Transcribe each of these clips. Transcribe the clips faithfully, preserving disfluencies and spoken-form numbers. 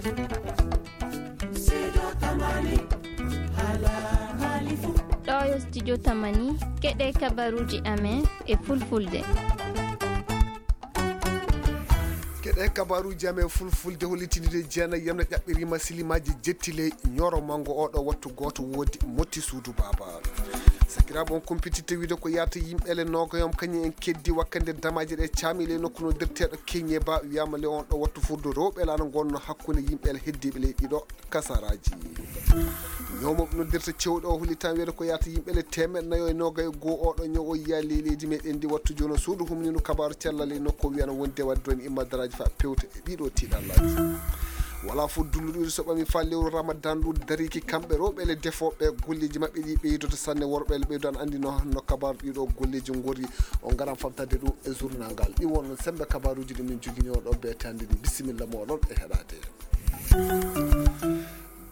Ɗo yo studio Tamani, keɗe kabaruuji amen e fulfulde. Keɗe kabaruuji amen fulfulde, hollitinde jeenayi yamna ƴaɓɓiriima silimaaji jettile ñoro manngo oɗo wattu gooto woodi motti suudu baaba. Sakiraaɓe, on kumpititte wiide ko yaata yimɓe le noogayam kañum en keddi wakkande damaaji ɗe caami le nokku no dirteeɗo Keñe Ba, wiyaama le on ɗo wattu furdo rewɓe laana ngonno hakkunde yimɓe le heddiiɓe le ɗiɗo kasaraaji. Ñawmooɓe noddirta cewɗo o hollitan wiyeede ko yaata yimɓe le teemeɗɗe nayo e noogay e goo oɗo ñaw o yiya ley leydi meɗen ndi wattu jooni o suudu humnino kabaaru cellal e nokku o wiyana wonde wadde ɗon immadaraaji fa pewte e ɗiɗo tiiɗallaaji. Wala fof dulluɗo so ɓami fa lewru Ramadan ɗum dariki kamɓe rewɓe le defooɓe golleeji maɓɓe ɗi ɓeydoto sanne worɓe le ɓeydo an anndi no no kabaaru ɗiɗo golleeji ngori o ngaran famtade ɗum e journal ngal ɗi wonno sembe kabaaruuji ɗi min jogini on ɗo beete hannde ni bisimilla moɗon e heɗade.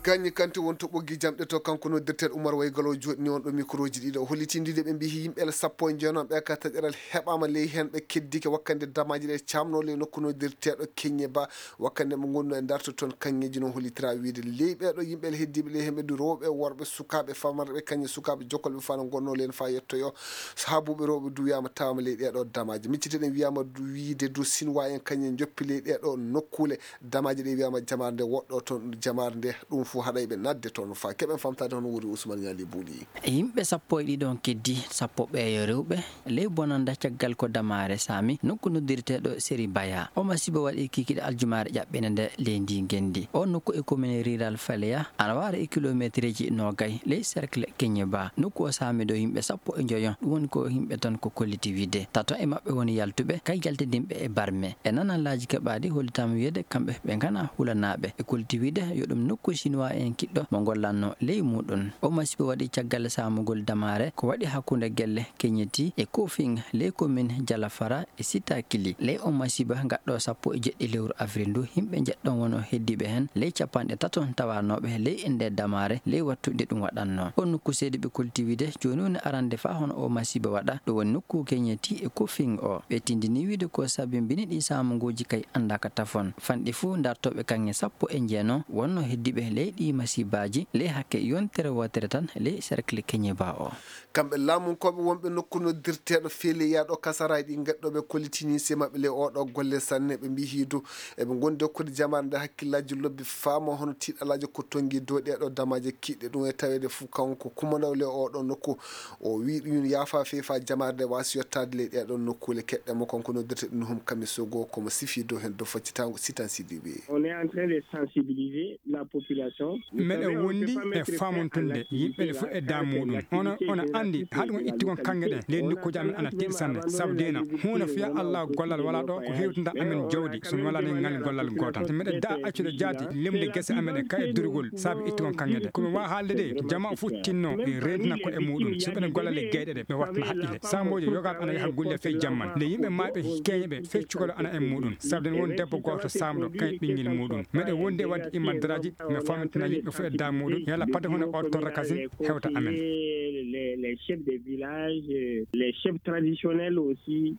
Gañi kanti won to ɓoggi jamɗe to kanko noddirteeɗo Umar Waygalo jooɗini on ɗo microji ɗiɗo o hollitindide ɓe mbiyi yimɓe le sappo e jeenom ɓe ka taƴeral heɓama ley hen ɓe keddike wakkande damaji ɗe camno ley nokku noddirteeɗo Keñe Ba wakkande mo gonno e darto toon kaŋŋeji no hollitira wiide ley ɓeɗo yimɓe le heddiɓe ley hen ɓe du rewɓe worɓe sukaaɓe famarɓe kañe sukaaɓe jokkolɓe fana gonno len fa yettoyo saabuɓe rewɓe du wiyama tawama ley ɗeɗo damaji micciteɗen wiyama du wiide du sinwa en kañe joppi ley ɗeɗo nokkule. Damaaji ɗe wiyaama jamaare nde woɗɗo toon jamaare nde ɗum fof haɗay ɓe naatde toon faa keɓen famtaade hono woni Ousmane Ñaali Buuli. Yimɓe sappo e ɗiɗo on keddi sappo ɓeeyo rewɓe ley bonannda caggal ko damaare saami nokku noddirteeɗo Seri Baya. O masiiba waɗi kikiɗe aljumaare ƴaɓɓinde nde ley ndi ngenndi. O nokku e commune rural Faleya ana waara e kilomeetreeji noogay ley cercle Keñe Ba. Nokku o saami ɗo yimɓe sappo e njoyo ɗum woni ko yimɓe tan ko kolliti wiide tato e maɓɓe woni yaltuɓe kay jaltidinɓe e barme. E nanallaaji keɓaaɗi hollitaama wiyeede kamɓe ɓe nganaa hulanaaɓe. E kolti wiide yo ɗum nokku Sinuwaa en kiɗɗo mo ngollatnoo ley muuɗum. Oo masiibo waɗi caggal saamugol damaare ko waɗi hakkunde gelle Keñeti e Kofing ley komin Jalafara e Sitakili. Ley oo masiiba gaɗɗo sappo e jeɗɗi lewru avril ndu, yimɓe njeɗɗon wonoo heddiiɓe heen ley capanɗe tato tawanooɓe ley e ndee damaare ley wattu nde ɗum waɗatnoo. Oo nokku seediiɓe kolti wiide jooni woni arande faa hono oo masiiba waɗa, ɗum woni nokku Keñeti e Kofing o. Ɓe tindini wiide ko sabimbini ɗii saamuguuji kay anndaaka tafon. Fanɗi fuu dartooɓe kaŋŋe sappo e jeenom wonnoo heddiiɓe ley ɗii masiibaaji ley hakke yontere wootere tan ley cercle Keñe Ba o. Kamɓe laamunkooɓe wonɓe nokku noddirteeɗo Feleya ɗo kasaraaji ɗi gaɗɗooɓe kollitini se maɓɓe ley oo ɗoo golle sanne ɓe mbiyi hiidu eɓe ngondi hokkude jamaare nde hakkillaaji lobbi faama hono tiiɗalaaji ko tonngi dow ɗee ɗoo damaaje kiiɗɗe ɗum e taweede fuu kanko kumandaw ley oo ɗoo nokku. O wiyi ɗum yaafa feefa jamaare nde waasi yottaade ley ɗee ɗoo nokkuule keɗɗe mo kanko noddirte ɗum hum kamisogo komo sifi dow heen dow faccitaango sitan sidiɓe. On est en train de sensibiliser la population. Meɗen wondi e faamontunde yimɓe ɓe fof e daamuɗum. Ono ono anndi haɗum ittigol kaŋŋe ɗen ley nokkuuji amen ana tiiɗi sanne sabu deena huunde fiya allah gollal wala ɗo ko hewtinta amen jawdi so mi wala nen ngal gollal gootal so meɗen da accude jaati lemde gese amen e kay durgol saabi ittigol kaŋŋe ɗe komi wawa haalde de jama fof tinno e rentina ko e muɗum so ɓeɗen gollal e geyɗe ɗe ɓe wattana haqqille samboji yogaɓe ana yaha gulle fey jamman nde yimɓe maɓe keñe ɓe fey cukalo ana e muɗum sabu den won debbo goto samɗo kay ɓinguel muɗum meɗen wondi e wadde immandiraji mi famintina yimɓe fof e da muɗum yalla pade hunde o torra kasin hewta amen. Les chefs des villages, les chefs traditionnels aussi.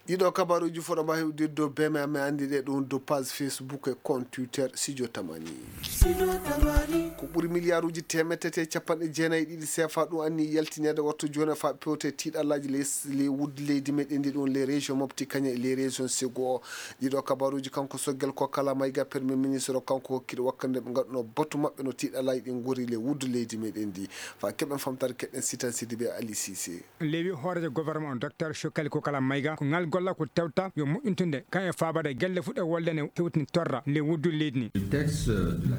Ɗiɗo kabaruji foɗo ma hewdirde dow beme amen andi ɗe ɗum dow page facebook e compte twitter sidio tamani. Ko ɓuri miliyaaruuji teemettete e capanɗe jeenayi e ɗiɗi sefa ɗum anni yaltineede wattu jooni faa pewte tiiɗallaaji ley wuddu leydi meɗen ndi ɗum les régions mofti kañe e les régions sego o. Ɗiɗo kabaruuji kanko soggel ko kala mayga permi ministre o kanko hokkiɗo wakkande ɓe ngaɗuno batu maɓɓe no tiiɗallaaji ɗi ngori ley wuddu leydi meɗen ndi faa keɓen famtare keɗen sitan sidi ɓe ali sise. Lewi hooreejo gouvernement o docteur Shokali Kokala Mayga ko ngal golla ko tewta yo moƴƴintunde kan e faabade gelle fuɗe wolde ne hewtini torra le wuddu leydi ni.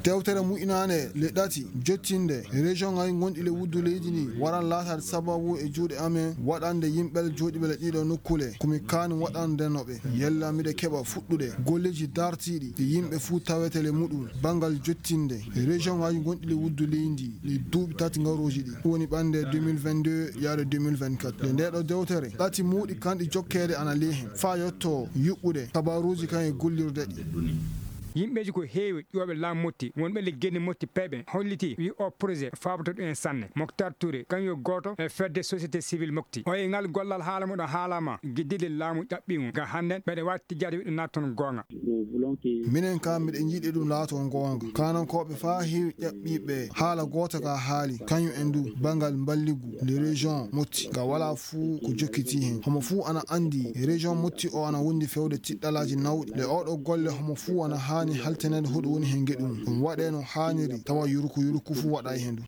Dewtere mu'inaane le ɗati jottinde région ngaji gonɗi le wuddu leydi ni waran laatade sababu e juuɗe amen waɗande yimɓe jooɗiɓe le ɗiɗo nokkule komi kaani waɗande no ɓe yella miɗe keɓa fuɗɗude golleji dartiiɗi ɗi yimɓe fuu tawete le muɗum banngal jottinde région ngaji gonɗi le wuddu leydi ɗi duuɓi tati ngarooji ɗi woni ɓannde deux mille vingt-deux yaade deux mille vingt-quatre nde ndeɗo dewtere ɗati muuɗi kanɗi jokkeede ana ley heen faa yetto yuɓɓude kabaruuji kan e gollirde ɗi. Yimɓeeji ko heewi ƴuwooɓe laamu Motti, wonɓe le genni Motti peyɓe, holliti wi o projet faaboto ɗum en sanne. Moctar Touré, kañum yo gooto e fedde société civile Motti. O e ngal gollal haala muɗo haalama, giddide laamu ƴaɓɓiimo. Ga hannden, ɓeɗe waati tijjaade wiɗo naat toon goonga. Minen kam miɗen njiɗi ɗum laato goonga. Kaanankooɓe faa heewi ƴaɓɓiiɓe haala goota ka haali, kañum en du banngal mballigu nde région Motti. Nga walaa fuu ko jokkiti heen. Homo fuu ana anndi région Motti o ana wondi fewde tiɗɗalaaji nawɗi. Le oɗo golle homo fuu ana haani halteneede hoɗo woni heen ngeɗu mum. Ɗum waɗee no haaniri tawa yuruku yuruku fuu waɗaa heen du.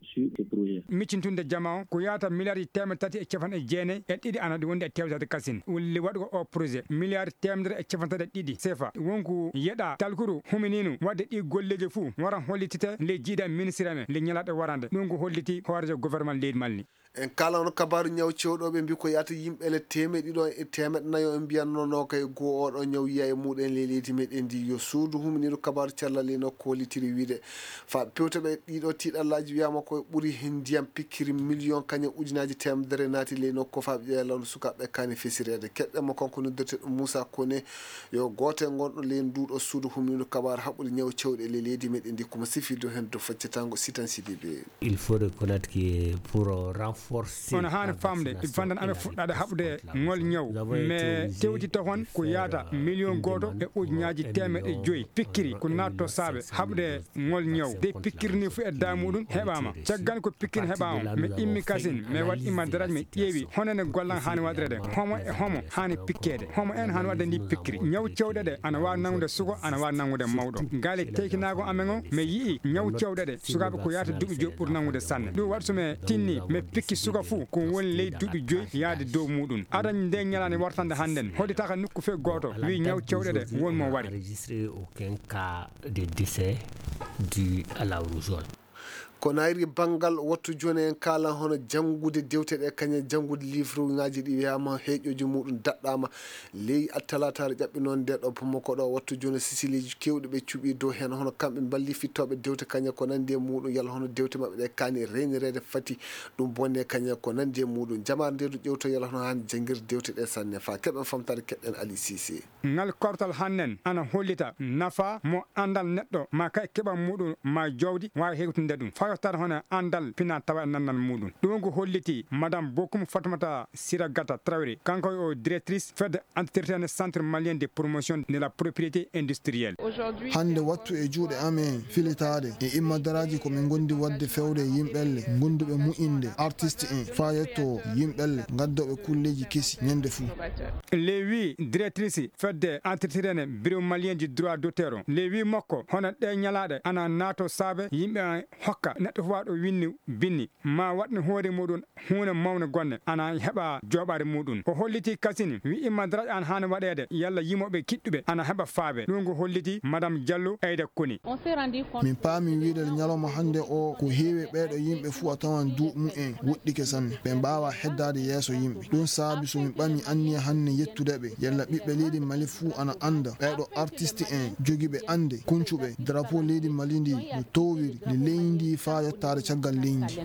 Miccintunde jama o ko yaata miliyarji teemeɗe tati e capanɗe jeenayi e ɗiɗi ana ɗi wondi e tewtade kasin. Wulli waɗugo o projet miliyarji teemedere e capanɗe tati e ɗiɗi sefa. Wonko yeɗa talkuru humininu waɗde ɗi golleeji fuu wara hollitite le jiida ministre men le ñalaɗe warande. Ɗum ko holliti hoorejo gouvernement leydi Mali. En kala on kabaaru ñaw cewɗo ɓe mbi ko yaata yimɓe le teemeɗe ɗiɗo e teemeɗe nayo en mbiyanno no kay goo oɗo ñaw yiya e muɗen le leydi meɗen ndi yo suudu humininu kabaaru cellal le nokku hollitiri wiide fa pewte ɓe ɗiɗo tiɗallaaji wiyama ko ɓuri heen ndiyam pikkiri miliyon kañum ujunaaji teemedere naati ley nokku faaɓe ƴeeya lawndu sukaaɓe kaani fesireede. Keɗɗen mo kanko noddirteɗo Moussa Kone yo gooto e gonɗo ley nduɗo suudu humindu kabaaru haɓɓude ñaw cewɗe ley leydi meɗen ndi, komo sifilde heen dow faccatango Sitan Sidibe. Il faut reconnaître que pour renforcer. Ono haani famde fandan amen fuɗɗaade haɓde ngol ñaw. Mais tewti tohon ko yaata miliyon gooto e ujunaaji teemeɗe joyi pikkiri ko naatto saabe haɓde ngol ñaw. De pikkiri ni fu e daa muɗum heɓaama. Caggal ko pikkiri heɓaama, mi immi kasin, mi waɗ imma daraj, mi ƴeewi honene gollan haani waɗirede. Homo e homo haani pikkeede. Homo en haani waɗde ndi pikkiri. Ñaw cewɗe ɗe ana waawi nangude suko, ana waawi nangude mawɗo. Gaale teykinaago amen o, mi yi'i ñaw cewɗe ɗe sukaaɓe ko yaata duuɓi joyi ɓuri nangude sanne. Ɗum waɗi so mi tinni, mi pikki suka fuu ko woni ley duuɓi joyi yaade dow muɗum. Aɗa nde ñalaande wartande hannden, hodditaaka nokku fee gooto, wi ñaw cewɗe ɗe won mo wari. Enregistré aucun cas de décès dû à la rougeole. Ko nayri banngal wattu jooni en kaala hono janngude dewte ɗe kañum janngude livre ŋaaji ɗi wiyama heeƴooji muɗum daɗɗama ley talataare ƴaɓɓi noon nde ɗo Bamako ɗo wattu jooni sisileeji kewɗi ɓe cuɓi dow heen hono kamɓe mballi fittooɓe dewte kañum ko nandi e muɗum yalla hono dewte maɓɓe ɗe kaani reynireede fati ɗum bonne kañum ko nandi e muɗum jamaare nde ɗo ƴewto yalla hono haani janngirde dewte ɗe sanne fa keɓen famtaade keɗɗen Ali Cissé. Ngal kortal hannden ana hollita nafa mo anndal neɗɗo ma kay keɓal muɗum ma jowdi waawi hewtinde ɗum faa yottata hono anndal pina tawa e nanndal muɗum. Ɗum ko holliti Madame Bokum Fatmata Siragata Traoré, kanko o directrice fedde entretien Centre Malien de Promotion de la Propriété Industrielle. Hannde wattu e juuɗe amen filitaade e immadaraaji ko min ngondi waɗde fewde e yimɓelle gonduɓe mu'inde artiste en faa yetto yimɓelle ngaddooɓe kulleeji kesi ñande fuu. Le wi directrice fedde entretien bureau malien du droit d'auteur o. Le wi makko hono ɗe ñalaaɗe ana naato saabe yimɓe hokka neɗɗo fuu waɗo winni binni ma waɗni hoore muɗum huunde mawnde gonne ana heɓa jooɓaade muɗum. O holliti kasini wi immadaraaji ana haani waɗeede yalla yimooɓe kiɗɗuɓe ana heɓa faabe. Ɗum ko holliti Madame Diallo Aida Koni. Min paami wiide ñalawma hannde o ko heewi ɓeeɗo yimɓe fuu a tawan duuɓi mumen woɗɗike sanne. Ɓe mbaawa heddaade yeeso yimɓe. Ɗum saabi so min ɓami anniya hannde yettude ɓe. Yalla ɓiɓɓe leydi Mali fuu ana annda ɓeeɗo artiste en jogiiɓe annde, kuncuɓe drapeau leydi Mali ndi no towiri ndi leydi faa yottaade caggal leydi.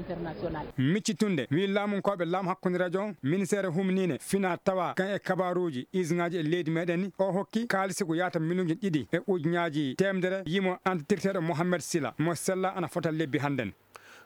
Miccitunde, wi laamunkooɓe laamu hakkunde rajo, ministeere humniine fina tawa kan e kabaaruuji, usine ŋaaji e leydi meɗen ni, o hokki kaalisi ko yaata miliyoŋji ɗiɗi e ujunnaaji teemedere yimo antitirteeɗo Mohamed Sila, mo sella ana fota lebbi hannden.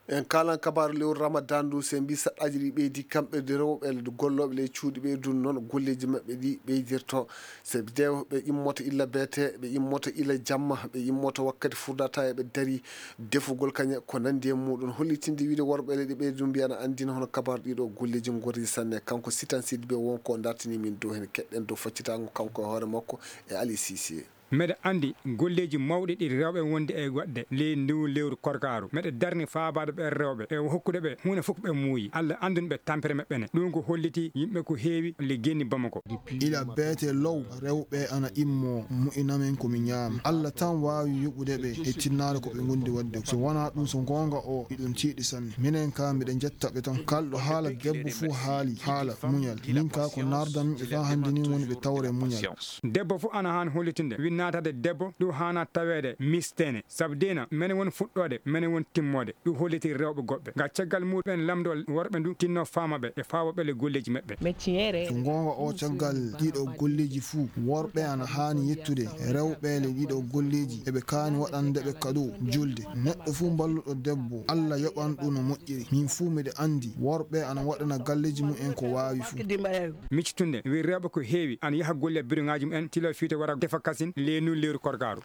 En kaalan kabaaru lewru Ramadan ndu, se mbi saɗɗaaji ɗi ɓeydi, kamɓe de rewɓe gollooɓe ley cuuɗi ɓe, ɗum noon golleeji maɓɓe ɗi ɓeydirto. Se ɓe de-, ɓe immoto illa beete, ɓe immoto illa jamma, ɓe immoto wakkati furdata e ɓe dari defugol kañe ko nandi e muɗum. Hollitinde wiide worɓe leyɗe ɓe ɗum mbiyana anndina hono kabaaru ɗiɗo golleeji ngorri sanne. Kanko Sitan Sidibé won ko dartini min dow heen keɗɗen dow faccitaango kanko e hoore makko e Ali Cissé. Meɗe anndi golleeji mawɗi ɗi rewɓe wondi e waɗde ley ndu lewru korkaaru. Meɗe darni faabaade ɓe rewɓe e hokkude ɓe huunde fof ɓe muuyi. Alla anndun ɓe tampere maɓɓe ne. Ɗum ko holliti yimɓe ko heewi le genni Bamako. Ila beete low rewɓe ana immo mu'inamen ko mi ñaama. Alla tan waawi yoɓude ɓe e tinnaare ko ɓe ngondi waɗde. So wonaa ɗum so goonga o iɗum tiiɗi sanne. Minen ka miɗe jetta ɓe tan. Kalɗo haala debbo fof haali haala muñal. Min ka ko nardan ɓe faa hannde ni woni ɓe tawre muñal. Debbo fof ana haani hollitinde Naatade debbo, ɗum haana taweede misteene. Sabu diina, mene woni fuɗɗoode, mene woni timmoode. Ɗum holliti rewɓe goɗɓe. Ga caggal muɗum en lamdo worɓe ndu tinno faama ɓe e faawa ɓe le golleeji maɓɓe. Metiere. So goonga o caggal ɗiɗo golleeji fuu, worɓe ana haani yettude rewɓe le ɗiɗo golleeji. Eɓe kaani waɗande ɓe kado julde. Neɗɗo fuu mballuɗo debbo, Alla yoɓan ɗum no moƴƴiri. Min fuu miɗo anndi worɓe ana waɗana galleeji mum en ko waawi fuu. Miccitunde, wi rewɓe ko heewi ana yaha golle biroŋaaji mum en, tilo fiito wara tefa kasin, leynu lewru korgaaru.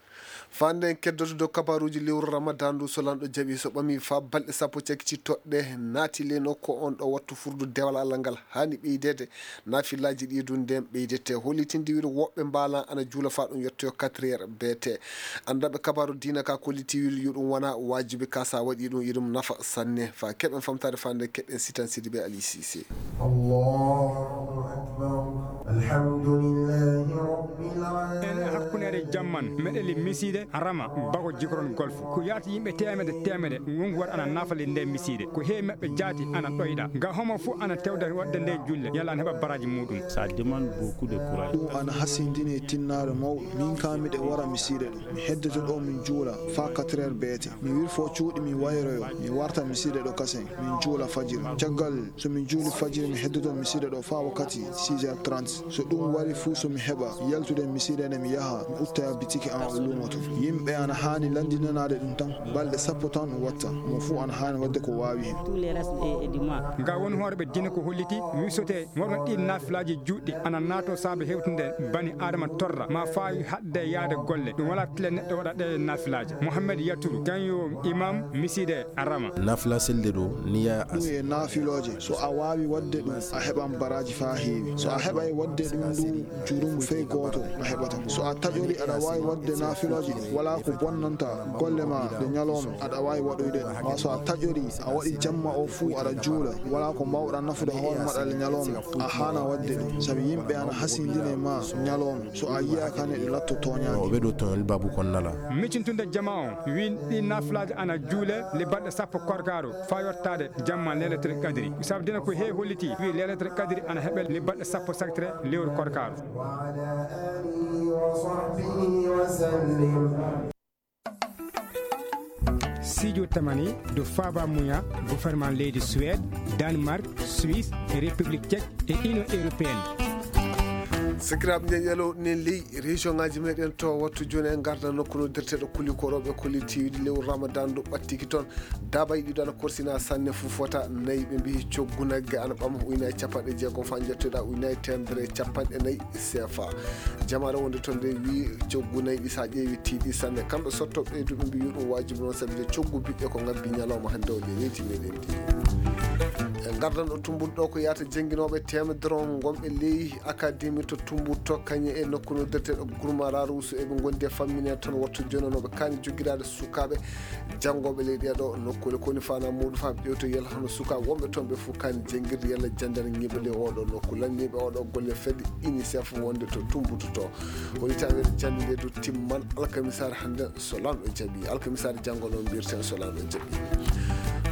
Fande en keddoto dow kabaruuji lewru Ramadan ndu, so lanɗo jaɓi, so ɓami faa balɗe sappo cakkitii toɗɗe naati ley nokku on ɗo wattu furdu dewal Allah ngal haani ɓeydeede. Naafilaaji ɗi ɗum nden ɓeydete. Hollitinde wiide woɓɓe mbaalan ana juula faa ɗum yettoyo quatre heures B T. Anndanɓe kabaru diina ka kolliti wiide yo ɗum wona waajibi ka, sa waɗi ɗum, yo ɗum nafa sanne. Faa keɓen famtaade fande, keɗen Sitan Sidibe Ali Sise. Allahu akbar. Alhamdulillahi rabbil alamin. En e hakkunere jamman, meɗeli misiide Rama, bako jikron golf. Ko yaati yimɓe teemede teemede, wonko waɗa ana naafali nde misiide. Ko heewi maɓɓe jaati ana ɗoyɗa. Nga homo fu ana tewda waɗde nde julle, yalla ana heɓa baraaji muɗum. Ça demande beaucoup de courage. Ɗum ana hasindini e tinnaare mawɗo. Min kaa miɗe wara misiide ɗo. Mi heddoto ɗo min juula faa quatre heures B T. Mi wirfo cuuɗi mi wayroyo. Mi warta misiide ɗo kasen. Min juula fajiri. Caggal so min juuli fajiri mi heddoto misiide ɗo faa wakkati six heures trente. So ɗum wari fuu so mi heɓa yaltude misiide nde mi yaha mi utta bitiki an o luumo to. Yimɓe ana haani lanndinanaade ɗum tan. Balɗe sappo tan ɗum watta. Mo fuu ana haani waɗde ko waawi hen. Nga woni hoore ɓe diina ko holliti wisote worɓe ɗi naafilaaji juutɗi ana naato saabe hewtinde bani Aadama torra ma faawi haɗde yaade golle. Ɗum wala tile neɗɗo waɗa ɗe naafilaaji. Mohammed Yaturu, kan yo imam misiide Rama. Nafila selde ɗo niya as- Ɗum e naafilooje. So a waawi waɗde ɗum, a heɓan baraaji faa heewi. So a heɓay waɗde ɗum ndu jurum fey gooto a heɓata. So a taƴori aɗa waawi waɗde naafilooje ɗin, walaa ko bonnanta golle ma ɗe ñalooma, aɗa waawi waɗoyde ɗum. Maa so a taƴori a waɗi jamma o fuu aɗa juula, walaa ko mbaawɗaa nafude hoore maɗa le ñalooma, a haana waɗde ɗum. Sabi yimɓe ana hasindine ma ñalooma. So a yiyaaka ne ɗum latto tooñaange. O ɓe ɗo toñol babu kon nala. Miccintunde jama on, wi ɗi naafilaaji ana juule le balɗe sappo korkaaru faa yottaade jamma Leylatul Qadri. Sabu dina ko heewi holliti, wi Leylatul Qadri ana heɓe le balɗe sappo saktere lewru korkaaru. وعلى آله وصحبه وسلم. Sijo tamani do faba muya gouvernement leydi Suède, Danemark, Suisse, République Tchèque et Union Européenne. Sakiraaɓe, nden yalo nen ley région ngaji meɗen to wattu joni en garda nokku no derteɗo kuli ko rewɓe kuli tiwidi lewru Ramadan ɗo ɓattiki toon. Daabay ɗiɗo ana korsina sanne, fuu fota nayi. Ɓe mbiyi coggu nagge ana ɓama ujunaaji capanɗe jeegom faa njettoɗa ujunaaji teemedere e capanɗe nayi C F A. Jamaare wonde toon nde wi coggu nayi ɗi sa ƴeewi tiiɗi sanne. Kamɓe sotto ɓeyduɓe mbi yo ɗum waajibi noon, sabu nde coggu biɗɗe ko ngabbi ñalawma hannde o nde leydi meɗen ndi. En gardan ɗo tumbuɗo ɗo ko yaata jannginooɓe teemedere on gonɓe ley académie to Tumbuto, kañe e nokku no derteɗo Gurmara Rusu eɓe ngondi e fammine toon wattu joni no ɓe kaani joggiraade sukaaɓe janngooɓe ley ɗee ɗo nokkuule. Ko woni faanaa muuɗum faa ɓe ƴeewto yalla hono sukaaɓe wonɓe toon ɓe fof kaani janngirde yalla janndarngiiɓe ley oo ɗo nokku. Lanniiɓe oo ɗo golle fedde UNICEF wonde to Tumbutu to. Woni taweede jannde nde du timman alkamisaare hannde so Laamɗo jaɓi. Alkamisaare janngo noon mbiyeten so Laamɗo jaɓi.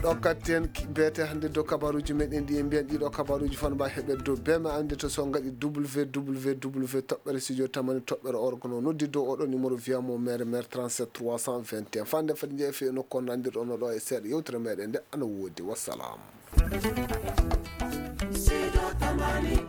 Ɗo katten ki-, beete hannde dow kabaruuji meɗen ɗi en mbiyan ɗiɗo kabaruuji fana mba heɓe dow B M A annde to so ngaɗi W W W toɓɓere studio tamani toɓɓere orgono noddi dow oɗo numéro via mo mere mere trente-sept trois cent vingt et un. Fande fadi jeefe e nokku on nandirɗo no ɗo e seeɗa yewtere meɗen nde ana woodi. Wassalam. Sido Tamani.